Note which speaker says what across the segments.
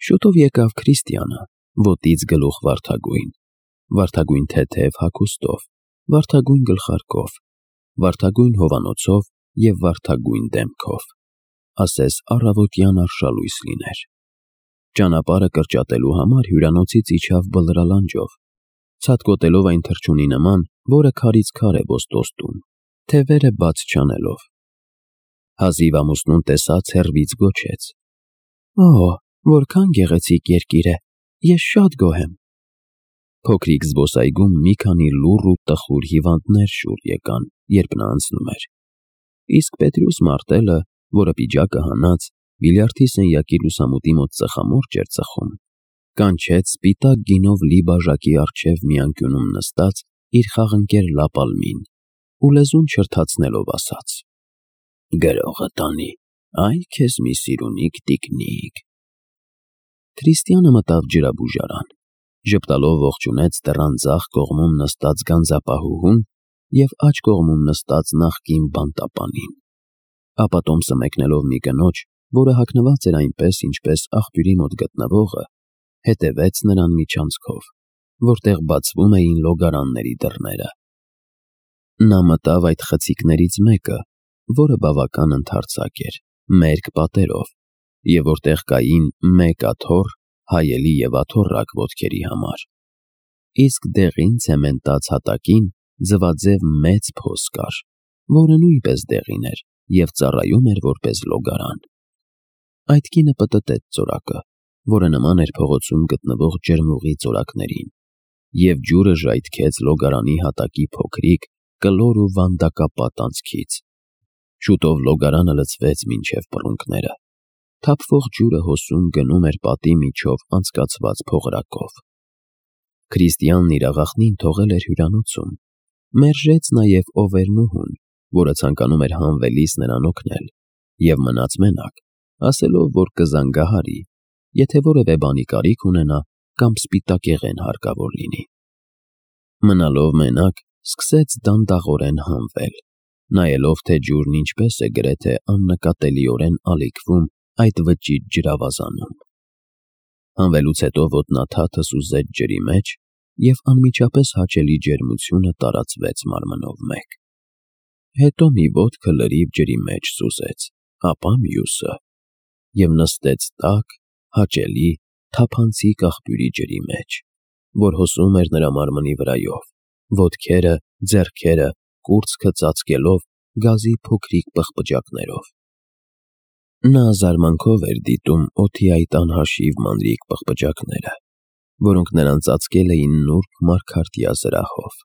Speaker 1: Շուտով եկավ Քրիստիանը, ոտից գլուխ վարդագույն թեթև հագուստով, վարդագույն գլխարկով, վարդագույն հովանոցով և վարդագույն դեմքով, ասես առավոտյան արշալույս լիներ։ Ճանապարհը կրճատելու համար հյուրանոցից իջավ բլրալանջով, ցատկոտելով այն թռչունի նման, որը քարից քար է ոստոսում, թևերը բաց չանելով։ Հազիվ ամուսնուն տեսած հեռվից գոչեց. «Օ, որքան գեղեցիկ երկիր է, ես շատ գոհ եմ»։ Փոքրիկ զբոսայգում մի քանի լուռ ու տխուր հիվանդներ շուռ եկան, երբ նա անցնում էր։ Իսկ Պետրուս Մարտելը, որը պիջակը հանած, բիլիարդի սենյակի լուսամուտի մոտ ծխամորճ էր ծխում, կանչեց սպիտակ գինով լի բաժակի առջև մի անկյունում նստած իր խաղընկեր Լապալմին ու լեզուն չրթացնելով ասաց. «Գրողը տանի, այ քեզ մի սիրունիկ տիկնիկ»։ Քրիստիանը մտավ ջրաբուժարան, ժպտալով ողջունեց դռան ձախ կողմում նստած գանձապահուհուն և աջ կողմում նստած նախկին բանտապանին, ապա տոմսը մեկնելով մի կնոջ, որը հագնված էր այնպես, ինչպես աղբյուրի մոտ գտնվողը, հետևեց նրան միջանցքով, որտեղ բացվում էին լոգարանների դռները։ Նա մտավ այդ խցիկներից մեկը, որը բավական ընդարձակ էր, մերկ պատերով, և որտեղ կային մեկ աթոռ, հայելի և աթոռակ ոտքերի համար, իսկ դեղին ցեմենտած հատակին ձվաձև մեծ փոս կար, որը նույնպես դեղին էր և ծառայում էր որպես լոգարան։ Այդ կինը պտտեց ծորակը, որը նման էր փողոցում գտնվող ջրմուղի ծորակներին, և ջուրը ժայթքեց լոգարանի հատակի փոքրիկ, կլոր ու վանդակապատ անցքից։ Շուտով լոգարանը լցվեց մինչև բռունկները, թափվող ջուրը հոսում գնում էր պատի միջով անցկացված փողրակով։ Քրիստիանն իր աղախնին թողել էր հյուրանոցում, մերժեց նաև Օվերնուհուն, որը ցանկանում էր հանվելիս նրան օգնել, և մնաց մենակ, ասելով, որ կզանգահարի, եթե որևէ բանի կարիք ունենա կամ սպիտակեղեն հարկավոր լինի։ Մնալով մենակ, սկսեց դանդաղորեն հանվել, նայելով, թե ջուրն ինչպես է գրեթե աննկատելիորեն ալիքվում այդ վճիտ ջրավազանում։ Հանվելուց հետո ոտնաթաթը սուզեց ջրի մեջ, և անմիջապես հաճելի ջերմությունը տարածվեց մարմնով մեկ։ Հետո մի ոտքը լրիվ ջրի մեջ սուզեց, ապա մյուսը, և նստեց տաք, հաճելի, թափանցիկ աղբյուրի ջրի մեջ, որ հոսում էր նրա մարմնի վրայով, ոտքերը, ձեռքերը, կուրծքը ծածկելով գազի փոքրիկ պղպջակներով։ Նա զարմանքով էր դիտում օդի այդ անհաշիվ մանրիկ պղպջակները, որոնք նրան ծածկել էին նուրբ մարգարտյա զրահով,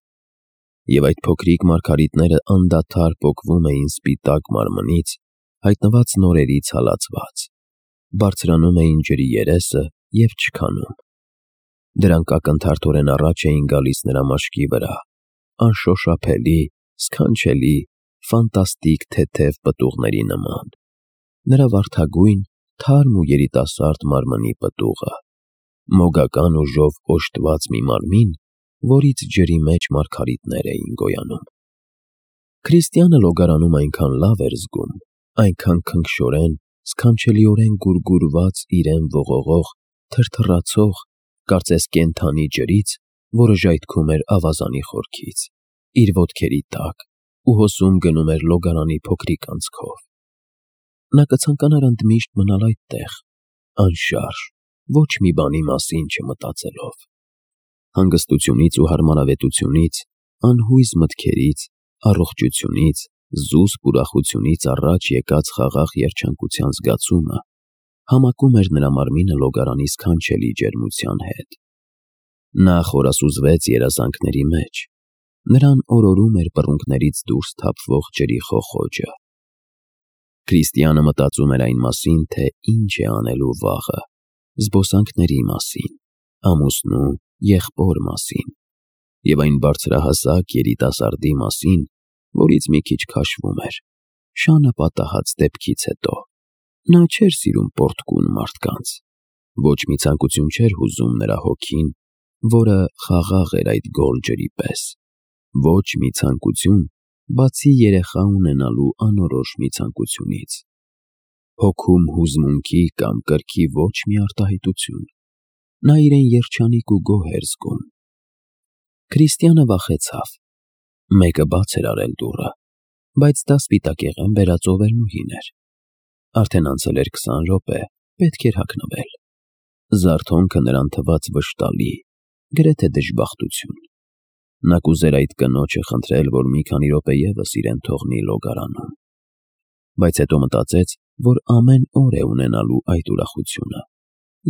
Speaker 1: և այդ փոքրիկ մարգարիտները անդադար պոկվում էին սպիտակ մարմնից, հայտնված նորերից հալածված, բարձրանում էին ջրի երեսը և չքանում։ Դրանք ակնթարթորեն առաջ էին գալիս նրա մաշկի վրա, անշոշափելի, սքանչելի, ֆանտաստիկ թեթև պտուղների նման, նրա վարդագույն, թարմ ու երիտասարդ մարմնի պտուղը, մոգական ուժով օժտված մի մարմին, որից ջրի մեջ մարգարիտներ էին գոյանում։ Քրիստիանը լոգարանում այնքան լավ էր զգում, այնքան քնքշորեն, սքանչելիորեն գուրգուրված իրեն ողողող, թրթռացող, կարծես կենդանի ջրից, որը ժայթքում էր ավազանի խորքից, իր ոտքերի տակ ու հոսում գնում էր լոգարանի փոքրիկ անցքով։ Նա կցանկանար ընդմիշտ մնալ այդտեղ, անշարժ, ոչ մի բանի մասին չմտածելով։ Հանգստությունից ու հարմարավետությունից, անհույզ մտքերից, առողջությունից, զուսպ ուրախությունից առաջ եկած խաղաղ երջանկության զգացումը համակում էր նրա մարմինը լոգարանի սքանչելի ջերմության հետ։ Նա խորասուզվեց երազանքների մեջ, նրան օրորում էր բռունկներից դուրս թափվող ջրի խոխոջը։ Քրիստիանը մտածում էր այն մասին, թե ինչ է անելու վաղը, զբոսանքների մասին, ամուսնու, եղբոր մասին, և այն բարձրահասակ երիտասարդի մասին, որից մի քիչ քաշվում էր, շանը պատահած դեպքից հետո։ Նա չէր սիրում պոռթկուն մարդկանց, ոչ մի ցանկություն չէր հուզում նրա հոգին, որը խաղաղ էր այդ գոլ ջրի պես, ոչ մի ցանկություն, բացի երեխա ունենալու անորոշ մի ցանկությունից։ հոգում հուզմունքի կամ կրքի ոչ մի արտահայտություն։ Նա իրեն երջանիկ ու գոհ էր զգում։ Քրիստիանը վախեցավ։ Մեկը բաց էր արել դուռը, բայց դա սպիտակեղեն բերած ովելնուհին էր։ Արդեն անցել էր 20 րոպե, պետք էր հագնվել։ Զարթոնքը նրան թվաց վշտալի, գրեթե դժբախտություն։ Նա կուզեր այդ կնոջը խնդրել, որ մի քանի րոպե ևս իրեն թողնի լոգարանում, բայց հետո մտածեց, որ ամեն օր է ունենալու այդ ուրախությունը,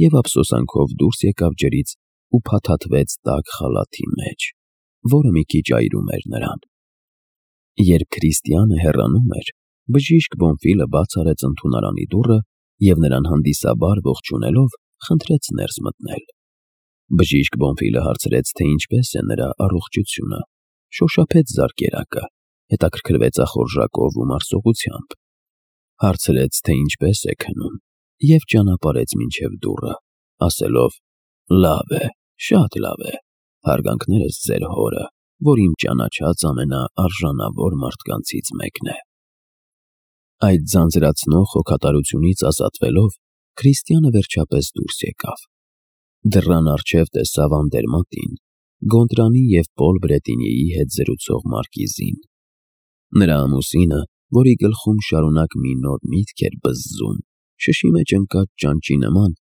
Speaker 1: և ափսոսանքով դուրս եկավ ջրից ու փաթաթվեց տաք խալաթի մեջ, որը մի քիչ այրում էր նրան։ Երբ Քրիստիանը հեռանում էր, բժիշկ Բոնֆիլը բաց արեց ընդունարանի դուռը և նրան հանդիսաբար ողջունելով խնդրեց ներս մտնել։ Բժիշկ Բոնֆիլը հարցրեց, թե ինչպես է նրա առողջությունը, շոշափեց զարկերակը, հետաքրքրվեց ախորժակով ու մարսողությամբ, հարցրեց, թե ինչպես է քնում, և ճանապարհեց մինչև դուռը, ասելով. «Լավ է, շատ լավ է, հարգանքներս ձեր հորը, որ իմ ճանաչած ամենաարժանավոր մարդկանցից մեկն է»։ Այդ ձանձրացնող հոգատարությունից ազատվելով, Քրիստիանը վերջապես դուրս եկավ։ Դռան առջև տեսավ Անդերմատին, Գոնդրանի և Պոլ Բրետինիի հետ զրուցող մարկիզին։ Նրա ամուսինը, որի գլխում շարունակ մի նոր միտք էր բզզում, շշի մեջ ընկած ճանճի նման,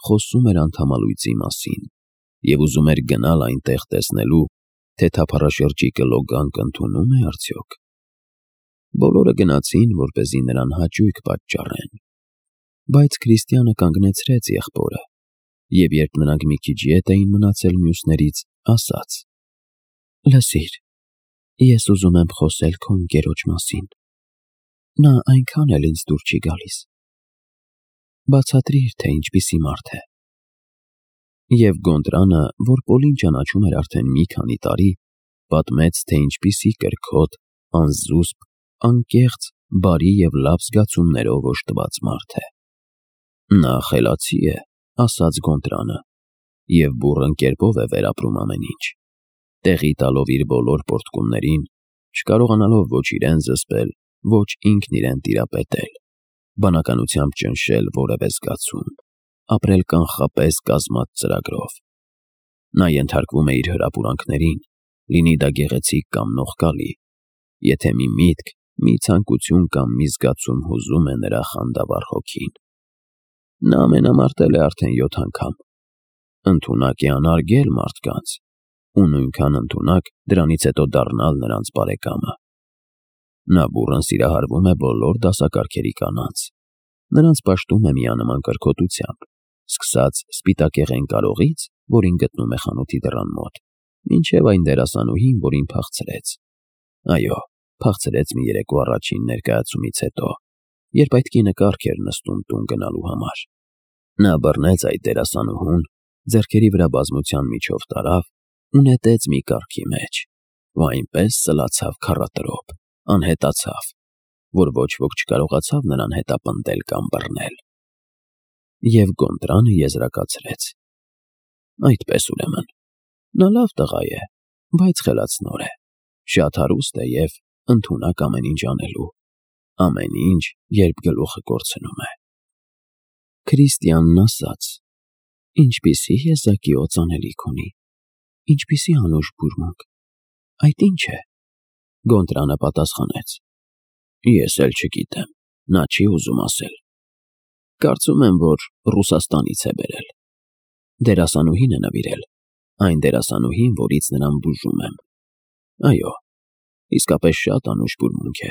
Speaker 1: խոսում էր անդամալույծի մասին և ուզում էր գնալ այնտեղ տեսնելու, թե թափառաշրջիկը լոգանք ընդունո՞ւմ է արդյոք։ Բոլորը գնացին, որպեսզի նրան հաճույք պատճառեն, բայց Քրիստիանը կանգնեցրեց եղբորը, և երբ նրանք մի քիչ ետ էին մնացել մյուսներից, ասաց. «Լսիր, ես ուզում եմ խոսել քո ընկերոջ մասին, նա այնքան էլ ինձ դուր չի գալիս, բացատրիր, թե ինչպիսի մարդ է»։ Եվ Գոնդրանը, որ Պոլին ճանաչում էր արդեն մի քանի տարի, պատմեց, թե ինչպիսի կրքոտ, անզուսպ, անկեղծ, բարի և լավ զգացումներով օժտված մարդ է։ «Նա խելացի է», ասաց Գոնդրանը, «և բուռն կերպով է վերապրում ամեն ինչ, տեղի տալով իր բոլոր պոռթկումներին, չկարողանալով ոչ իրեն զսպել, ոչ ինքն իրեն տիրապետել, բանականությամբ ճնշել որևէ զգացում, ապրել կանխապես կազմած ծրագրով։ Նա ենթարկվում է իր հրապուրանքներին, լինի դա գեղեցիկ կամ նողկալի, եթե մի միտք, մի ցանկություն կամ մի զգացում հուզում է նրա խանդավառ հոգին։ Նա ամենամարտել է արդեն 7 անգամ, ընդունակ է անարգել մարդկանց ու նույնքան ընդունակ դրանից հետո դառնալ նրանց բարեկամը։ Նա բուռն սիրահարվում է բոլոր դասակարգերի կանանց, նրանց պաշտում է միանման կրքոտությամբ, սկսած սպիտակեղեն կարողից, որին գտնում է խանութի դռան մոտ, մինչև այն դերասանուհին, որին փախցրեց։ Այո, փախցրեց մի երեկո առաջին ներկայացումից հետո, երբ այդ կինը կառք էր նստում տուն գնալու համար։ Նա բռնեց այդ դերասանուհուն, ձեռքերի վրա բազմության միջով տարավ ու նետեց մի կառքի մեջ, ու այնպես սլացավ քառատրոփ, անհետացավ, որ ոչ ոք չկարողացավ նրան հետապնդել կամ բռնել։ Եվ Գոնդրանը եզրակացրեց. «Այդպես ուրեմն, նա լավ տղա է, բայց խելացնոր է, շատ հարուստ է և ընդունակ ամեն ինչ անելու, ամեն ինչ, երբ գլուխը կորցնում է»։ Քրիստիանն ասաց. «Ինչպիսի եզակի օծանելիք ունի, ինչպիսի անուշ բուրմունք, այդ ի՞նչ է»։ Գոնդրանը պատասխանեց. «Ես էլ չգիտեմ, նա չի ուզում ասել։ Կարծում եմ, որ Ռուսաստանից է բերել։ Դերասանուհին է նվիրել, այն դերասանուհին, որից նրան բուժում եմ։ Այո, իսկապես շատ անուշ բուրմունք է»։